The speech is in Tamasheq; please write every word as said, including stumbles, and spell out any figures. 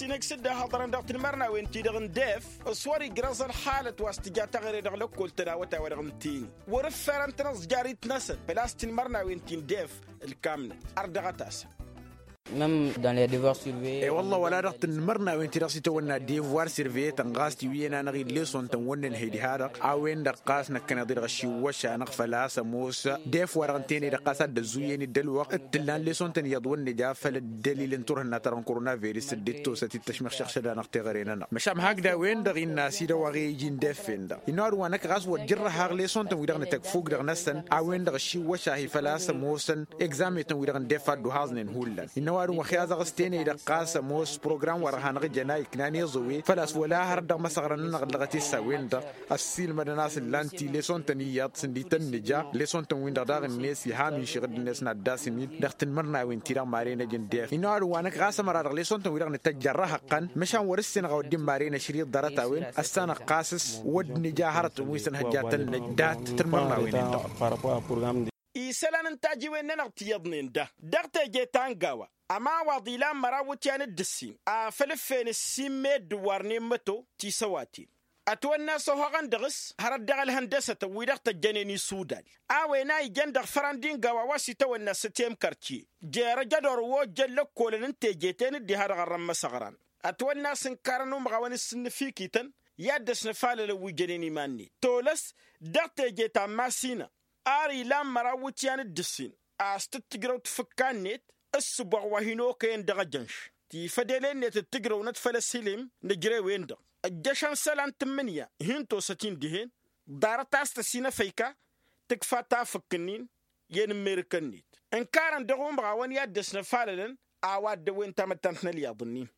Tinăkšǝd d-ahăḍărăn dăɣ-tinmărnawen-ti-dăɣ n-def s-wăr-ijrăẓ ălxalăt wa s-tǝja taɣre dăɣ-lăkkol tănawăt a-wa-dăɣ n-teni wăr-ǝffărăn-tăn ăẓjarit-năsăn făl-a-s tinmărnawen-ti n-def ǝlkamnăt. Ărdăɣăt-asăn. Mem dans les devoirs surveiller. E-wălla wăla dăɣ-tinmărnawen-ti-dăɣ s-itawănna devoir surveiller-tăn ɣas tiwǝyyen-anăɣ-in leson-tăn wăr nǝnhăy diha-dăɣ a-wen-dăɣ ɣas năkkăneḍ-i-dăɣ ăššiwwăš-anăɣ făl-a-s ămoos. Def-wa-dăɣ ǝntăyăn-i-dăɣ ɣas ad-dd-ăzzuyyen-dd ălwăqq d-tǝllan leson-tăn iyyăḍ wăr nǝja făll-ăddălil n-turhǝnna ta dăɣ-n korona virus dd-ittosăt-dd tăšmăxšăɣšăd-anăɣ teɣăre-nănăɣ măšan hakd a-wen-dăɣ innă a-s idăw aɣe iji n-defen-dăɣ innă ăwadǝm wa năkk ɣas wăr jărrăh aɣ leson-tăn-wi-dăɣ nǝtăgg fuk dăɣ-năsăn a-wen-dăɣ ăššiwwăš-ahi făl-a-s ămoosăn egzame-tăn-wi-dăɣ n-def a dd-uhaẓnen hullan innă ăwadǝm wa xiyazăɣ s-tenăy-dăɣ ɣas ămoos program-wa-dăɣ hanăɣ-jăn a iknan iẓăwe făl-a-s wăla hărăt dăɣ-imăsăɣrăn-nănăɣ ǝllăɣăt-e s-a-wen-dăɣ ăssiilmădăn a-s ǝllan-t i-leson-tăn iyyăḍ s-ǝnda itănnǝja leson-tăn-win-dăɣ daɣ-net iha minšiɣ-dd-net n-ad-dd-asǝn-in dăɣ-tinmărnawen-ti-dăɣ maren ăj n-def innă ăwadǝm wa năkk ɣas ămăra dăɣ-leson-tăn-wi-dăɣ nǝtăjj ărrăhăqqăn măšan wăr-ǝssinăɣ a wăr dd-imaren ašri ḍarăt-a-wen ăssanăɣ ɣas s-wăr dd-nǝja hărătăn wi s-ănhăjjatăn-năj dat-tinmărnawen-in-dăɣ. Isălan n-tajiwen-nănăɣ tiyyăḍnen da dăɣ-teje ta n-gawa ămawaḍ ilan măraw iwǝtyan d-ǝssin afăl ǝffen ǝssin meddǝn wa ărnen măto tisăwaten ătwănna a-s ohăɣăn dăɣ-s hărăt dăɣ-ălhăndăsătăn wi-dăɣ tăjjănen isudal a-wen a ijăn dăɣ-fărăn d-ingawa wa s-itawănna s-tiyem kartiye jer-ăj ădor wi ojjăn lăkkolăn n-teje-ten dd-iha dăɣ-ărrăn imăsăɣran ătwănna a-s ǝnkarăn umɣawăn s-ǝnnǝfikităn i-ad-dăs-năfalălăn wi jănen iman-net tolăs dăɣ-teje ta n-masina ar ilan măraw iwǝtyan d-ǝssin a-s tǝttǝjrăw tafǝkka-net ǝssǝboɣ wa hin-okăyăn dăɣ-ejănš tifădele-net ǝttǝjrăwnăt făll-ăsilim n-ejrewen-dăɣ ăjjăšăn isălan tǝmmǝnǝya hin-tosăt-in dihen ḍarăt a-s tăsinăfăyka tǝkfa tafǝkk-ǝnnin i-enǝmmerǝkăn-net ǝnkarăn dăɣ-umɣawăn i-ad-dăs-năfalălăn a-wa dd-ăwwen tamăttant n-ălyaḍ-ǝnnin.